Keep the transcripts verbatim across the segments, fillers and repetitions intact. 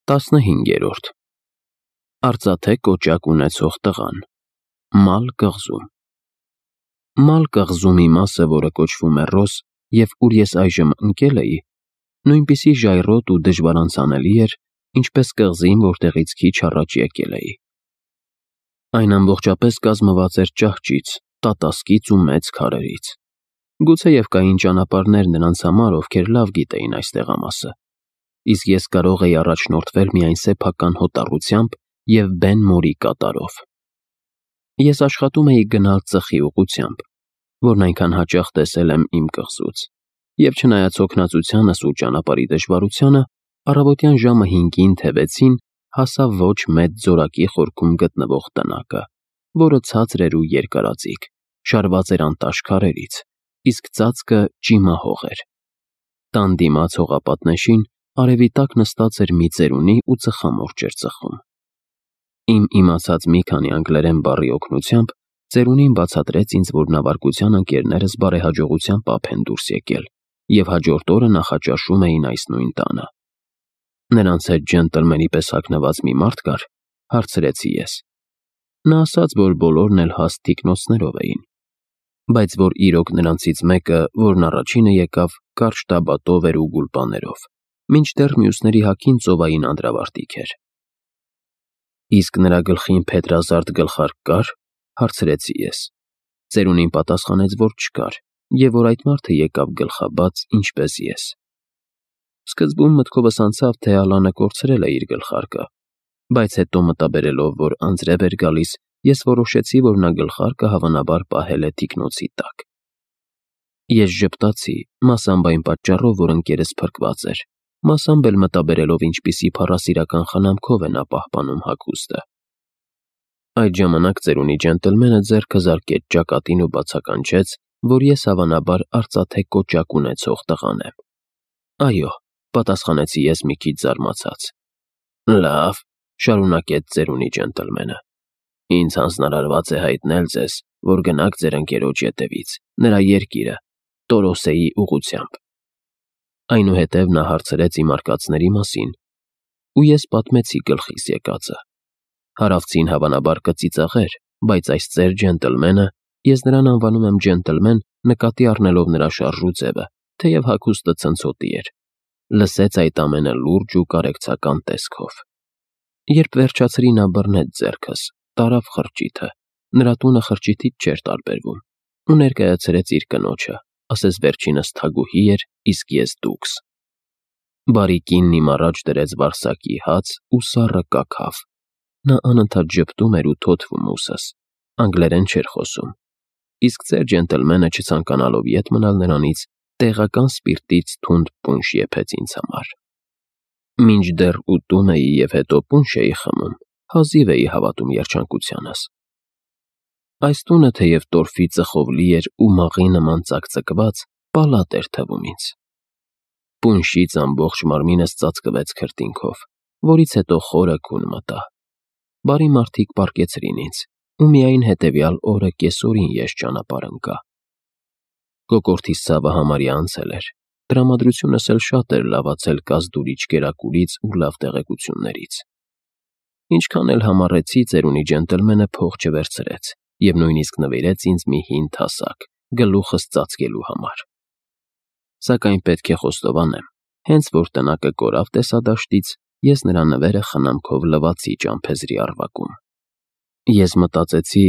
Տասնհինգերորդ Արծաթե կոճակ ունեցող տղան Մալ կղզում Մալ կղզումի մասը, որը կոչվում է Ռոս և ուր ես այժմ ընկել էի, նույնպիսի ժայռոտ ու դժվարանցանելի էր, ինչպես կղզին, որտեղից քիչ առաջ եկել էի։ Այն ամբողջապես կազմված էր ճահճից, տատասկից ու մեծ քարերից։ Գուցեև կային ճանապարհներ նրանց համար, ովքեր լավ գիտեին այս տեղամասը, իսկ ես կարող էի առաջնորդվել միայն սեփական հոտառությամբ և Բեն Մորի կատարով։ Ես աշխատում էի գնալ ծխի ուղղությամբ, որն այնքան հաճախ տեսել եմ իմ կղզուց, և չնայած հոգնածությանս ու ճանապարհի դժվարությանը, առավոտյան ժամը հինգին թե վեցին հասա ոչ մեծ ձորակի խորքում գտնվող տնակը, որը ցածր էր ու երկարաձիգ, շարված էր անտաշ քարերից, իսկ ծածկը ջիմահող էր։ Տան դիմաց հողապատնեշին արևի տակ նստած էր մի ծերունի ու ծխամորճ էր ծխում։ Իմ իմացած մի քանի անգլերեն բառի օգնությամբ ծերունին բացատրեց ինձ, որ նավարկության ընկերներս բարեհաջողությամբ ափ են դուրս եկել և հաջորդ օրը նախաճաշում էին այս նույն տանը։ Նրանց հետ ջենտլմենի պես հագնված մի մարդ կար, հարցրեցի ես։ Նա ասաց, որ բոլորն էլ հաստ թիկնոցներով էին, բայց որ իրոք նրանցից մեկը, որն առաջինը եկավ, կարճ տաբատով էր ու գուլպաներով, մինչդեռ մյուսների հագին ծովային անդրավարտիք էր։ Իսկ նրա գլխին փետրազարդ գլխարկ կա՞ր, հարցրեցի ես։ Ծերունին պատասխանեց, որ չկար, և որ այդ մարդը եկավ գլխաբաց, ինչպես ես։ Սկզբում մտքովս անցավ, թե Ալանը կորցրել է իր գլխարկը, բայց հետո մտաբերելով, որ անձրև էր գալիս, ես որոշեցի, որ նա գլխարկը հավանաբար պահել է թիկնոցի տակ։ Ես ժպտացի, մասամբ այն պատճառով, որ ընկերս փրկված էր, մասամբ էլ մտաբերելով, ինչպիսի փառասիրական խնամքով է նա պահպանում հագուստը։ Այդ ժամանակ ծերունի ջենտլմենը ձեռքը զարկեց ճակատին ու բացականչեց, որ ես հավանաբար արծաթե կոճակ ունեցող տղան եմ։ Այո, պատասխանեցի ես մի քիչ զարմացած։ Լավ, շարունակեց ծերունի ջենտլմենը։ Ինձ հանձնարարված է հայտնել ձեզ, որ գնաք ձեր ընկերոջ ետևից, նրա երկիրը, Տորոսեի ուղղությամբ։ Այնուհետև նա հարցրեց իմ արկածների մասին, ու ես պատմեցի գլխիս եկածը։ Հարավցին հավանաբար կծիծաղեր, բայց այս ծեր ջենտլմենը, ես նրան անվանում եմ ջենտլմեն, նկատի առնելով նրա շարժ ու ձևը, թեև հագուստը ցնցոտի էր, լսեց այդ ամենը լուրջ ու կարեկցական տեսքով։ Երբ վերջացրի, նա բռնեց ձեռքս, տարավ խրճիթը, նրա տունը խրճիթից չէր տարբերվում, ու ներկայացրեց իր կնոջը, ասես վերջինս թագուհի էր, իսկ ես դուքս։ Բարի կինն իմ առաջ դրեց վարսակի հաց ու սառը կաքավ։ Նա անընդհատ ժպտում էր ու թոթվում ուսս, անգլերեն չէր խոսում, իսկ ծեր ջենտլմենը, չցանկանալով ետ մնալ նրանից, տեղական սպիրտից թունդ պունշ եփեց ինձ համար։ Մինչդեռ ուտում էի և հետո պունշ էի խմում, հազիվ էի հավատում երջանկությանս։ Այս տունը, թեև տորֆի ծխով լի էր ու մաղի նման ծակծկված, պալատ էր թվում ինձ։ Պունշից ամբողջ մարմինս ծածկվեց քրտինքով, որից հետո խորը քուն մտա։ Բարի մարդիկ պառկեցրին ինձ, ու միայն հետևյալ օրը կեսօրին ես ճանապարհ ընկա։ Կոկորդիս ցավը համարյա անցել էր, տրամադրությունս էլ շատ էր լավացել կազդուրիչ կերակուրից ու լավ տեղեկություններից։ Ինչքան էլ համառեցի, ծերունի ջենտլմենը փող չվերցրեց և նույնիսկ նվիրեց ինձ մի հին թասակ, գլուխս ծածկելու համար։ Սակայն պետք է խոստովանեմ, հենց որ տնակը կորավ տեսադաշտից, ես նրա նվերը խնամքով լվացի ճամփեզրի առվակում։ Ես մտածեցի,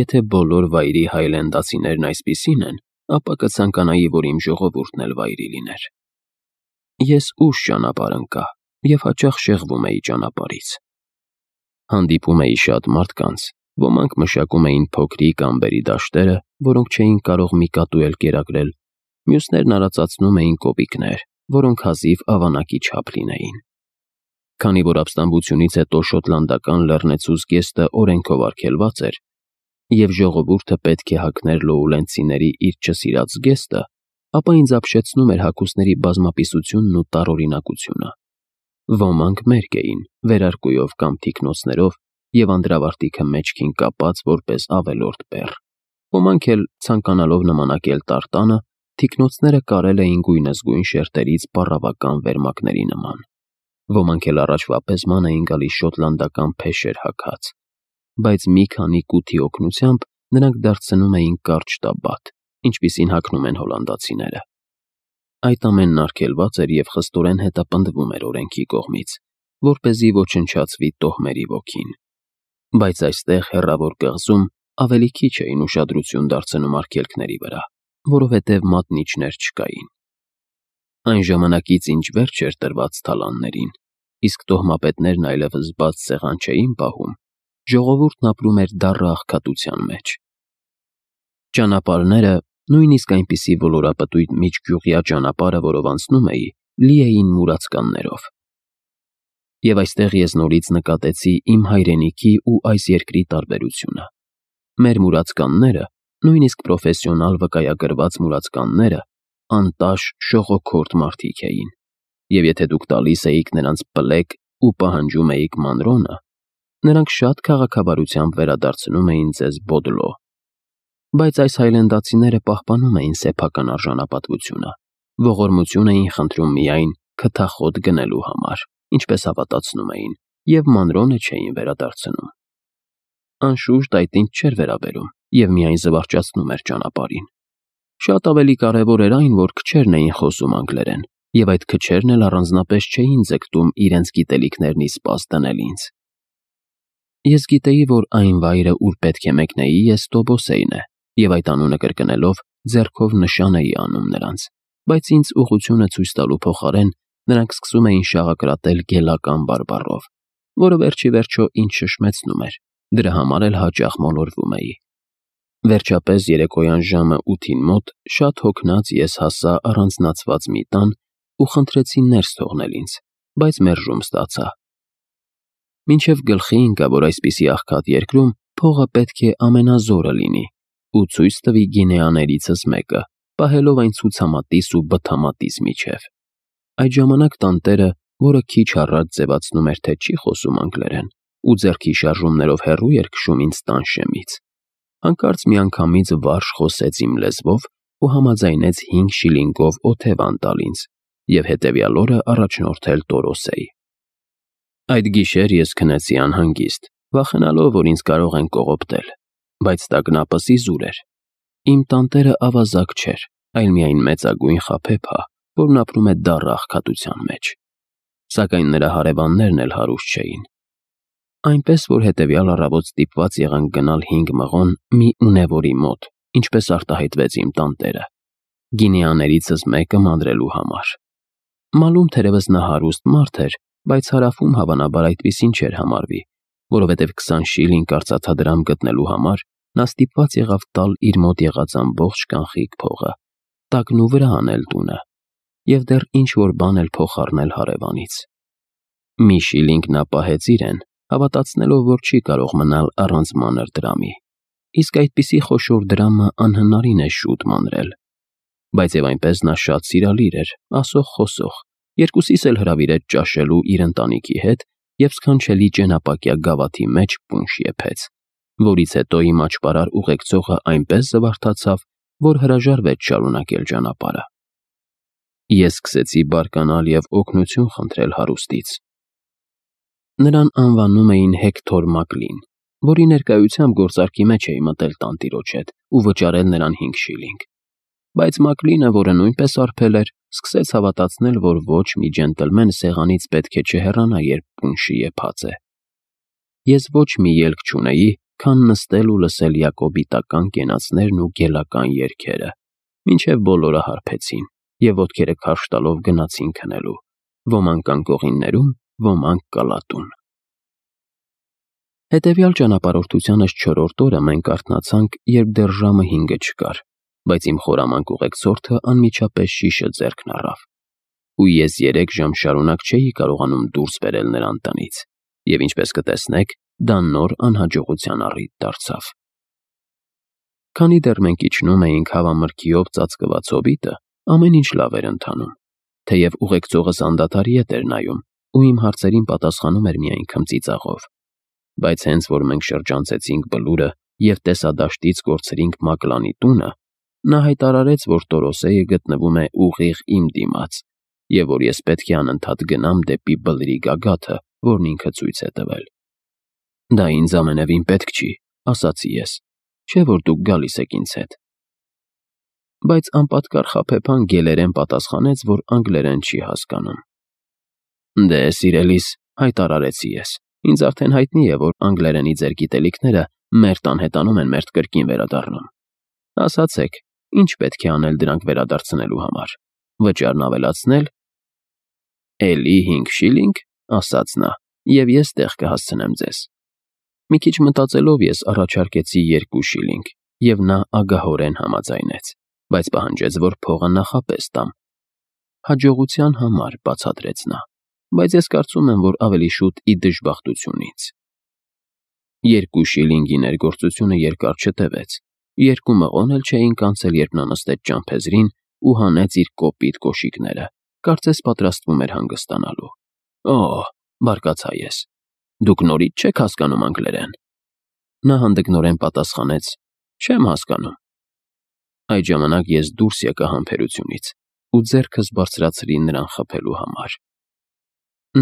եթե բոլոր վայրի հայլենդացիներն այսպիսին են, ապա կցանկանայի, որ իմ ժողովուրդն էլ վայրի լիներ։ Ես ուշ ճանապարհ ընկա և հաճախ շեղվում էի ճանապարհից։ Հանդիպում էի շատ մարդկանց, ոմանք մշակում էին փոքրիկ ամբերի դաշտերը, որոնք չէին կարող մի կատու էլ կերակրել, մյուսներն արածացնում էին կոպիկներ, որոնք հազիվ ավանակի չափ լինեին։ Քանի որ ապստամբությունից հետո շոտլանդական լեռնեցուզգեստը օրենքով արգելված էր, և ժողովուրդը պետք է հագներ լոուլենդցիների իր չսիրած զգեստը, ապա ինձ ապշեցնում էր հագուստների բազմապիսությունն ու տարօրինակությունը։ Ոմանք մերկ էին, վերարկուով կամ թիկնոցներով և անդրավարտիքը մեջքին կապած որպես ավելորդ բեռ, ոմանք էլ, ցանկանալով նմանակել տարտանը, թիկնոցները կարել էին գույնզգույն շերտերից պառավական վերմակների նման։ Ոմանք էլ առաջվա պես ման էին գալիս շոտլանդական փեշեր հագած, բայց մի քանի կութի օգնությամբ նրանք դարձնում էին կարճ տաբատ, ինչպիսին հագնում են հոլանդացիները։ Այդ ամենն արգելված էր և խստորեն հետապնդվում էր օրենքի կողմից, որպեսզի ոչնչացվի տոհմերի ոգին։ Բայց այստեղ հեռավոր կղզում ավելի քիչ էին ուշադրություն դարձնում արգելքների վրա, որովհետև մատնիչներ չկային։ Այն ժամանակից, ինչ վերջ էր տրված թալաններին, իսկ տոհմապետներն այլևս բաց սեղան չէին պահում, ժողովուրդն ապրում էր դառը աղքատության մեջ։ Ճանապարհները, նույնիսկ այնպիսի ոլորապտույտ միջգյուղյա ճանապարհը, որով անցնում էի, լի էին մուրացկաններով։ Եվ այստեղ ես նորից նկատեցի իմ հայրենիքի ու այս երկրի տարբերությունը։ Մեր մուրացկանները, նույնիսկ պրոֆեսիոնալ վկայագրված մուրացկանները, անտաշ, շողոքորթ մարդիկ էին, և եթե դուք տալիս էիք նրանց պլեկ ու պահանջում էիք մանրոնը, նրանք շատ քաղաքավարությամբ վերադարձնում էին ձեզ բոդլո։ Բայց այս հայլենդացիները պահպանում էին սեփական արժանապատվությունը, ողորմություն էին խնդրում միայն քթախոտ գնելու համար, ինչպես հավատացնում էին, և մանրոնը չէին վերադարձնում։ Անշուշտ այդ ինձ չէր վերաբերում և միայն զվարճացնում էր ճանապարհին։ Շատ ավելի կարևոր էր այն, որ քչերն էին խոսում անգլերեն, և այդ քչերն էլ առանձնապես չէին ձգտում իրենց գիտելիքներն ի սպաս դնել ինձ։ Ես գիտեի, որ այն վայրը, ուր պետք է մեկնեի, ես Տոբոսեին է, և այդ անունը կրկնելով ձեռքով նշան էի անում նրանց, բայց ինձ ուղղությունը ցույց տալու փոխարեն նրանք սկսում էին շաղակրատել գելական բարբառով, որը վերջ ի վերջո ինձ շշմեցնում էր, դրա համար էլ հաճախ մոլորվում էի։ Վերջապես երեկոյան ժամը ութին մոտ շատ հոգնած ես հասա առանձնացված մի տան ու խնդրեցի ներս թողնել ինձ, բայց մերժում ստացա։ Մինչև գլխի ընկա, որ այսպիսի աղքատ երկրում փողը պետք է ամենազորը լինի ու ցույց տվի գինեաներիցս մեկը, պահելով այն ցուցամատիս ու բթամատիս միջև։ Այդ ժամանակ տանտերը, որը քիչ առաջ ձևացնում էր, թե չի խոսում անգլերեն, ու ձեռքի շարժումներով հեռու էր քշում ինձ տան շեմից, հանկարծ միանգամից վարժ խոսեց իմ լեզվով ու համաձայնեց հինգ շիլինգով օթևան տալ ինձ և հետևյալ օրը առաջնորդել Տորոսեի։ Այդ գիշեր ես քնեցի անհանգիստ, վախենալով, որ ինձ կարող են կողոպտել, բայց տագնապս իզուր էր։ Իմ տանտերը ավազակ չէր, այլ միայն մեծագույն խաբեբա, որն ապրում է դառը աղքատության մեջ։ Սակայն նրա հարևաններն էլ հարուստ չէին։ Այնպես որ հետևյալ առավոտ ստիպված եղանք գնալ հինգ մղոն մի ունևորի մոտ, ինչպես արտահայտվեց իմ տանտերը, գինեաներիցս մեկը մանրելու համար։ Մալում թերևս նա հարուստ մարդ էր, բայց հարավում հավանաբար այդպիսին չէր համարվի, որովհետև քսան շիլինգ արծաթադրամ գտնելու համար նա ստիպված եղավ տալ իր մոտ եղած ամբողջ կանխիկ փողը, տակնու վրա անել տունը և դեռ ինչ-որ բան էլ փոխառնել հարևանից։ Մի շիլինգ նա պահեց իրեն, հավատացնելով, որ չի կարող մնալ առանց մանր դրամի, իսկ այդպիսի խոշոր դրամը անհնարին է շուտ մանրել։ Բայց և այնպես նա շատ սիրալիր էր, ասող-խոսող, երկուսիս էլ հրավիրեց ճաշելու իր ընտանիքի հետ և սքանչելի ճենապակյա գավաթի մեջ պունշ եփեց, որից հետո իմ աճպարար ուղեկցողը այնպես զվարթացավ, որ հրաժարվեց շարունակել ճանապարհը։ Ես սկսեցի բարկանալ և օգնություն խնդրել հարուստից։ Նրան անվանում էին Հեկտոր Մակլին, որի ներկայությամբ գործարքի մեջ էի մտել տանտիրոջ հետ ու վճարել նրան հինգ շիլինգ։ Բայց Մակլինը, որը նույնպես արբել էր, սկսեց հավատացնել, որ ոչ մի ջենտլմեն սեղանից պետք է չհեռանա, երբ պունշը եփած է։ Ես ոչ մի ելք չունեի, քան նստել ու լսել յակոբիտական կենացներն ու գելական երգերը, մինչև բոլորը հարբեցին և ոտքերը քարշ տալով գնացին քնելու, ոմանք անկողիններում, ոմանք կալատում։ Հետևյալ ճանապարհորդությանս չորրորդ օրը մենք արթնացանք, երբ դեռ ժամը հինգը չկար, բայց իմ խորամանկ ուղեկցորդը անմիջապես շիշը ձեռքն առավ, ու ես երեք ժամ շարունակ չէի կարողանում դուրս բերել նրան տնից, և ինչպես կտեսնեք, դա նոր անհաջողության առիթ դարձավ։ Քանի դեռ մենք իջնում էինք հավամրգիով ծածկված հովիտը, ամեն ինչ լավ էր ընթանում, թեև ուղեկցողս անդադար ետ էր նայում ու իմ հարցերին պատասխանում էր միայն քմծիծաղով։ Բայց հենց որ մենք շրջանցեցինք բլուրը և տեսադաշտից կորցրինք Մակլանի տունը, նա հայտարարեց, որ Տորոսեը գտնվում է ուղիղ իմ դիմաց և որ ես պետք է անընդհատ գնամ դեպի բլրի գագաթը, որն ինքը ցույց է տվել։ Դա ինձ ամենևին պետք չի, ասացի ես, չէ՞ որ դուք գալիս եք ինձ հետ։ Բայց անպատկառ խաբեբան գելերեն պատասխանեց, որ անգլերեն չի հասկանում։ Դե, սիրելիս, հայտարարեցի ես, ինձ արդեն հայտնի է, որ անգլերենի ձեր գիտելիքները մերթ անհետանում են մերթ կրկին վերադառնում։ Ասացեք, ինչ պետք է անել դրանք վերադարձնելու համար։ Վճարն ավելացնել։ Էլի հինգ շիլինգ, ասաց նա, և ես տեղ կհասցնեմ ձեզ։ Մի քիչ մտածելով ես առաջարկեցի երկու շիլինգ, և նա ագահորեն համաձայնեց, բայց պահանջեց, որ փողը նախապես տամ։ Հաջողության համար, բացատրեց նա, բայց ես կարծում եմ, որ ավելի շուտ ի դժբախտությունից։ Երկու շիլինգի ներգործությունը երկար չտևեց, երկու մղոն էլ չէինք անցել, երբ նա նստեց ճամփեզրին ու հանեց իր կոպիտ կոշիկները, կարծես պատրաստվում էր հանգստանալու։ Օհ, բարկացա ես, դուք նորից չեք հասկանում անգլերեն։ Նա հանդգնորեն պատասխանեց. Չեմ հասկանում։ Այդ ժամանակ ես դուրս եկա համբերությունից ու ձեռքս բարձրացրի նրան խփելու համար։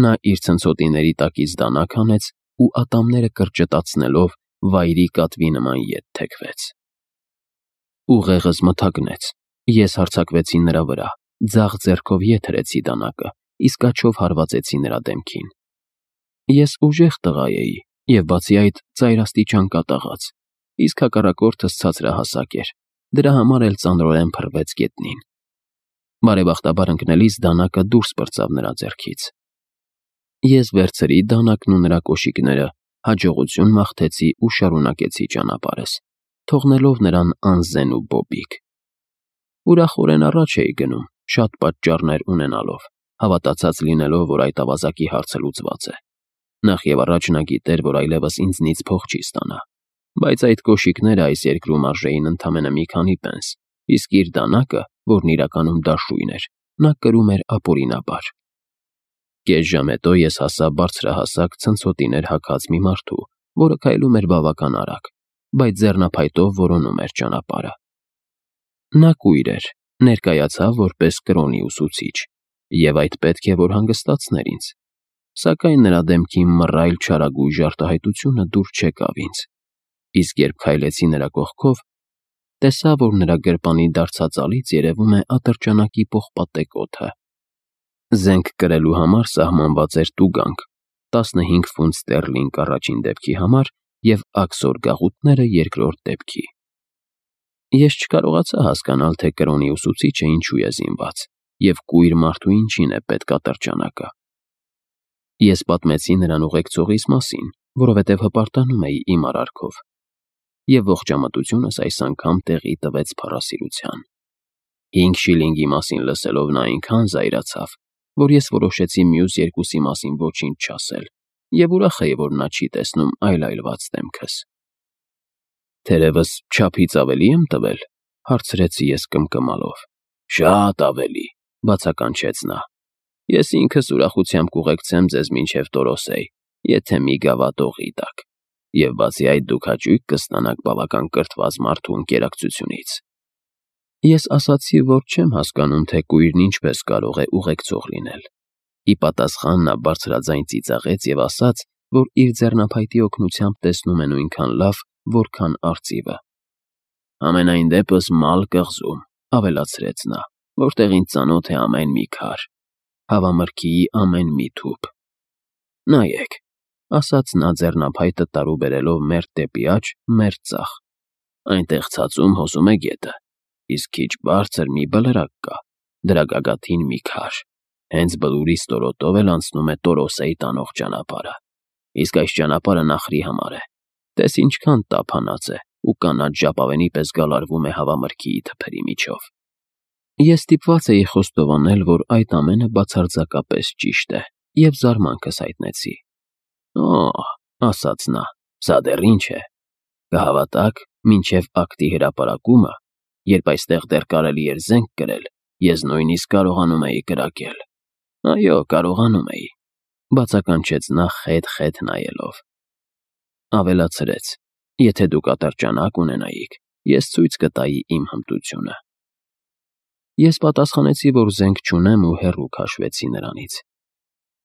Նա իր ցնցոտիների տակից դանակ հանեց ու ատամները կրճտացնելով վայրի կատվի նման ետ թեքվեց։ Ուղեղս մթագնեց, ես հարձակվեցի նրա վրա, ձախ ձեռքով ետ հրեցի դանակը, իսկ աջով հարվածեցի նրա դեմքին։ Ես ուժեղ տղա էի և բացի այդ ծայրաստիճան կատաղած, իսկ հակառակորդս ցածրահասակ էր, դրա համար էլ ծանրորեն փռվեց գետնին։ Բարեբախտաբար ընկնելիս դանակը դուրս պրծավ նրա ձեռքից։ Ես վերցրի դանակն ու նրա կոշիկները, հաջողություն մաղթեցի ու շարունակեցի ճանապարհս, թողնելով նրան անզեն ու բոբիկ։ Ուրախորեն առաջ էի գնում, շատ պատճառներ ունենալով, հավատացած լինելով, որ այդ ավազակի հարցը լուծված է։ Նախ և առաջ նա գիտեր, որ այլևս ինձնից փող չի ստանա, բայց այդ կոշիկները այս երկրում արժեին ընդամենը մի քանի պենս, իսկ իր դանակը, որն իրականում դաշույն էր, նա կրում էր ապօրինաբար։ Կես ժամ հետո ես հասա բարձրահասակ ցնցոտիներ հագած մի մարդու, որը քայլում էր բավական արագ, բայց ձեռնափայտով որոնում էր ճանապարհը։ Նա կույր էր, ներկայացավ որպես կրոնի ուսուցիչ, և այդ պետք է որ հանգստացներ ինձ, սակայն նրա դեմքի մռայլ չարագույժ արտահայտությունը դուր չեկավ ինձ, իսկ երբ քայլեցի նրա կողքով, տեսա, որ նրա գրպանի դարձածալից երևում է ատրճանակի պողպատե կոթը։ Զենք կրելու համար սահմանված էր տուգանք, տասնհինգ ֆունտ ստերլինգ առաջին դեպքի համար և աքսոր գաղութները երկրորդ դեպքի։ Ես չկարողացա հասկանալ, թե կրոնի ուսուցիչը ինչու է զինված, և կույր մարդու ինչին է պետք ատրճանակը։ Ես պատմեցի նրան ուղեկցողիս մասին, որովհետև հպարտանում էի իմ արարքով, և ողջամտությունս այս անգամ տեղի տվեց փառասիրության։ Հինգ շիլինգի մասին լսելով նա այնքան զայրացավ, որ ես որոշեցի մյուս երկուսի մասին ոչինչ չասել, և ուրախ էի, որ նա չի տեսնում այլայլված դեմքս։ Թերևս չափից ավելի եմ տվել, հարցրեցի ես կմկմալով։ Շատ ավելի, բացականչեց նա։ Ես ինքս ուրախությամբ կուղեկցեմ ձեզ մինչև Տորոսեյ, եթե մի գավաթ օղի տաք, և բացի այդ դուք հաճույք կստանաք բավական կրթված մարդու ընկերակցությունից։ Ես ասացի, որ չեմ հասկանում, թե կույրն ինչպես կարող է ուղեկցող լինել։ Ի պատասխան նա բարձրաձայն ծիծաղեց և ասաց, որ իր ձեռնափայտի օգնությամբ տեսնում է նույնքան լավ, որքան արծիվը։ Համենայն դեպս Մալ կղզում, ավելացրեց նա, որտեղ ինձ ծանոթ է ամեն մի քար, հավամրգիի ամեն մի թուփ։ Նայեք, ասաց նա ձեռնափայտը տարուբերելով մերթ դեպի աջ, մերթ ձախ, այնտեղ ցածում հոսում է գետը, իսկ քիչ բարձր մի բլրակ կա, դրա գագաթին մի քար, հենց Բլուրի ստորոտով էլ անցնում է Տորոսեյ տանող ճանապարհը, իսկ այս ճանապարհը Նախրի համար է, տես ինչքան տափանած է ու կանաչ ժապավենի պես գալարվում է հավամրգիի թփերի միջով։ Ես ստիպված էի խոստովանել, որ այդ ամենը բացարձակապես ճիշտ է, և զարմանքս հայտնեցի։ Օհ, ասաց նա, սա դեռ ինչ է։ Կհավատաք, մինչև ակտի հրապարակումը, երբ այստեղ դեռ կարելի էր զենք կրել, ես նույնիսկ կարողանում էի կրակել։ Այո, կարողանում էի, բացականչեց նա խետ-խետ նայելով։ Ավելացրեց. Եթե դուք ատրճանակ ունենայիք, ես ցույց կտայի իմ հմտությունը։ Ես պատասխանեցի, որ զենք չունեմ ու հեռու քաշվեցի նրանից։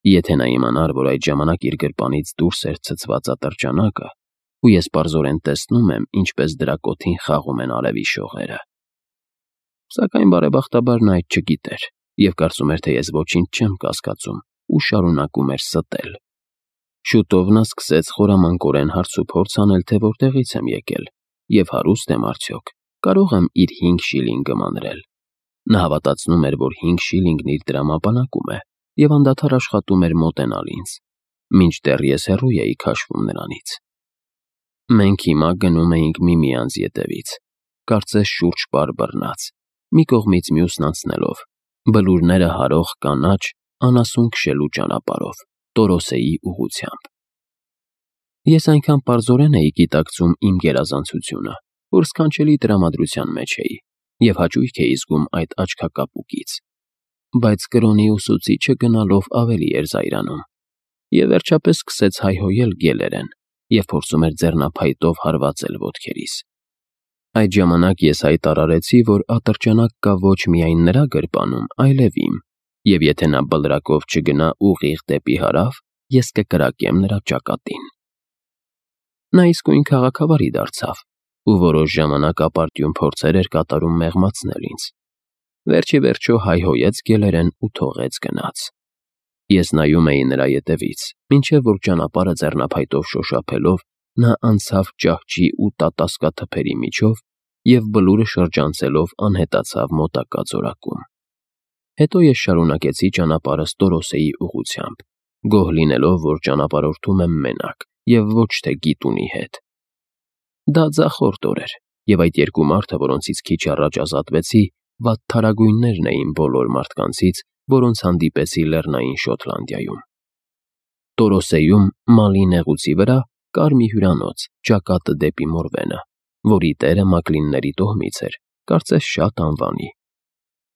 Եթե նա իմանար, որ այդ ժամանակ իր գրպանից դուրս էր ցցված ատրճանակը, ու ես պարզորեն տեսնում եմ, ինչպես դրա կոթին խաղում են արևի շողերը։ Սակայն բարեբախտաբար նա այդ չգիտեր և կարծում էր, թե ես ոչինչ չեմ կասկածում ու շարունակում էր ստել։ Շուտով նա սկսեց խորամանկորեն հարցուփորձ անել, թե որտեղից եմ եկել և հարուստ եմ արդյոք, կարող եմ իր հինգ շիլինգը մանրել։ Նա հավատացնում էր, որ հինգ շիլինգն իր դրամապանակում է և անդադար աշխատում էր մոտենալ ինձ, մինչդեռ ես հեռու էի քաշվում նրանից։ Մենք հիմա գնում էինք միմյանց ետևից, կարծես շուրջպար բռնած, մի կողմից մյուսն անցնելով, բլուրները հարող կանաչ, անասուն քշելու ճանապարհով, Տորոսեի ուղղությամբ։ Ես այնքան պարզորեն էի գիտակցում իմ գերազանցությունը, որ սքանչելի տրամադրության մեջ էի և հաճույք էի զգում այդ աչքակապուկից, բայց կրոնի ուսուցիչը գնալով ավելի էր զայրանում և վերջապես սկսեց հայհոյել գելերեն և փորձում էր ձեռնափայտով հարվածել ոտքերիս։ Այդ ժամանակ ես հայտարարեցի, որ ատրճանակ կա ոչ միայն նրա գրպանում, այլև իմ, և եթե նա բլրակով չգնա ուղիղ դեպի հարավ, ես կկրակեմ նրա ճակատին։ Նա իսկույն քաղաքավարի դարձավ ու որոշ ժամանակ ապարդյուն փորձեր էր կատարում մեղմացնել ինձ։ Վերջ ի վերջո հայհոյեց գելերեն ու թողեց գնաց։ Ես նայում էի նրա ետևից, մինչև որ ճանապարհը ձեռնափայտով շոշափելով նա անցավ ճահճի ու տատասկաթփերի միջով և բլուրը շրջանցելով անհետացավ մոտակա ձորակում։ Հետո ես շարունակեցի ճանապարհս Տորոսեի ուղղությամբ, գոհ լինելով, որ ճանապարհորդում եմ մենակ և ոչ թե գիտունի հետ։ Դա ձախորդ օր էր, և այդ երկու մարդը, որոնցից քիչ առաջ ազատվեցի, վատթարագույններն էին բոլոր մարդկանցից, որոնց հանդիպեցի Լեռնային Շոտլանդիայում։ Տորոսեում, Մալի նեղուցի վրա, կար մի հյուրանոց, ճակատը դեպի Մորվենը, որի տերը Մակլինների տոհմից էր, կարծես շատ անվանի։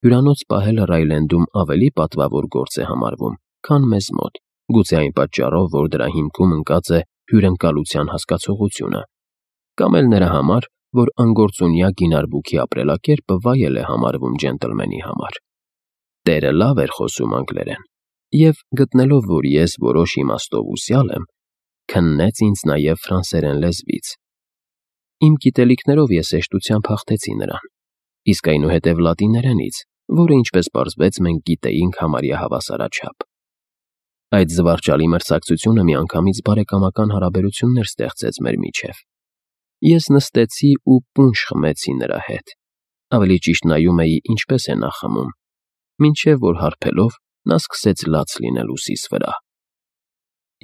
Հյուրանոց պահելը Ռայլենդում ավելի պատվավոր գործ է համարվում, քան մեզ մոտ, գուցե այն պատճառով, որ դրա հիմքում ընկած է հյուրընկալության հասկացողությունը, կամ էլ նրա համար, որ անգործունյա գինարբուքի ապրելակերպը վայել է համարվում ջենտլմենի համար։ Տերը լավ էր խոսում անգլերեն, և, գտնելով, որ ես որոշ իմաստով ուսյալ եմ, քննեց ինձ նաև ֆրանսերեն լեզվից։ Իմ գիտելիքներով ես հեշտությամբ հաղթեցի նրան, իսկ այնուհետև լատիներենից, որը, ինչպես պարզվեց, մենք գիտեինք համարյա հավասարաչափ։ Այդ զվարճալի մրցակցությունը միանգամից բարեկամական հարաբերություններ ստեղծեց մեր միջև։ Ես նստեցի ու պունշ խմեցի նրա հետ, ավելի ճիշտ նայում էի, ինչպես է նա խմում, մինչև որ հարբելով նա սկսեց լաց լինել ուսիս վրա։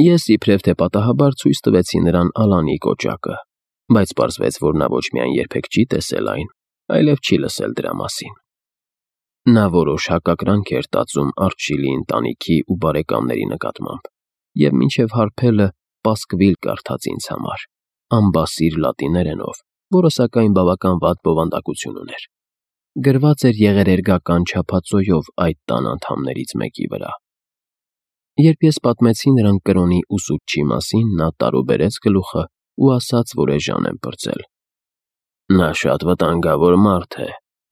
Ես իբրև թե պատահաբար ցույց տվեցի նրան Ալանի կոճակը, բայց պարզվեց, որ նա ոչ միայն երբեք չի տեսել այն, այլև չի լսել դրա մասին։ Նա որոշ հակակրանք էր տածում Արչիլի ընտանիքի ու բարեկամների նկատմամբ և մինչև հարբելը պասկվիլ կարդաց ինձ համար, ամբասիր լատիներենով, որը սակայն բավական վատ բովանդակություն ուներ։ Գրված էր եղերերգական չափածոյով այդ տան անդամներից մեկի վրա։ Երբ ես պատմեցի նրան կրոնի ուսուցչի մասին, նա տարուբերեց գլուխը ու ասաց, որ էժան եմ պրծել։ Նա շատ վտանգավոր մարդ է,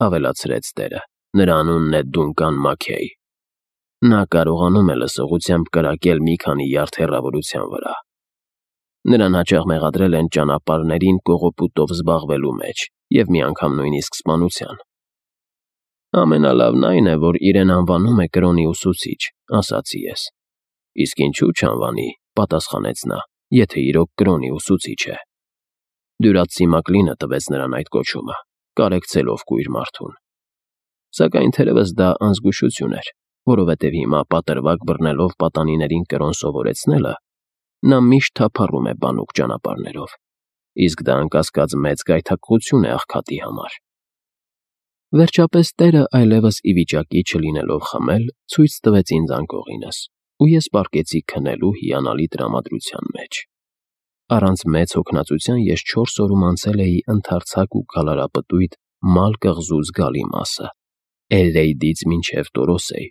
ավելացրեց տերը, նրա անունն է Դունկան Մաքեյ։ Նա կարողանում է լսողությամբ կրակել մի քանի յարդ հեռավորության վրա։ Նրան հաճախ մեղադրել են ճանապարհներին կողոպուտով զբաղվելու մեջ և մի անգամ նույնիսկ սպանության։ Ամենալավն այն է, որ իրեն անվանում է կրոնի ուսուցիչ, ասացի ես։ Իսկ ինչու չանվանի, պատասխանեց նա, եթե իրոք կրոնի ուսուցիչ է։ Դյուրացի Մակլինը տվեց նրան այդ կոչումը, կարեկցելով կույր մարդուն։ Սակայն թերևս դա անզգուշություն էր, որովհետև հիմա պատրվակ բռնելով պատանիներին կրոն սովորեցնելը, նա միշտ թափառում է բանուկ ճանապարհներով, իսկ դա անկասկած մեծ գայթակղություն է աղքատի համար։ Վերջապես տերը այլևս ի վիճակի չլինելով խմել, ցույց տվեց ինձ անկողինս, ու ես պառկեցի քնելու հիանալի տրամադրության մեջ։ Առանց մեծ հոգնածության ես չորս օրում անցել էի ընդարձակ ու գալարապտույտ Մալ կղզու զգալի մասը, Էլ-Լեյդից մինչև Տորոսեյ,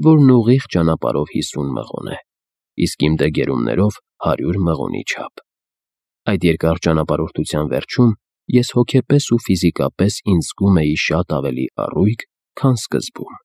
որն ուղիղ ճանապարհով հիսուն մղոն է, իսկ իմ դեգերումներով հարյուր մղոնի չափ։ Այդ երկար ճանապարհորդության վերջում ես հոգեպես ու ֆիզիկապես ինձ զգում էի շատ ավելի առույգ քան սկզբում։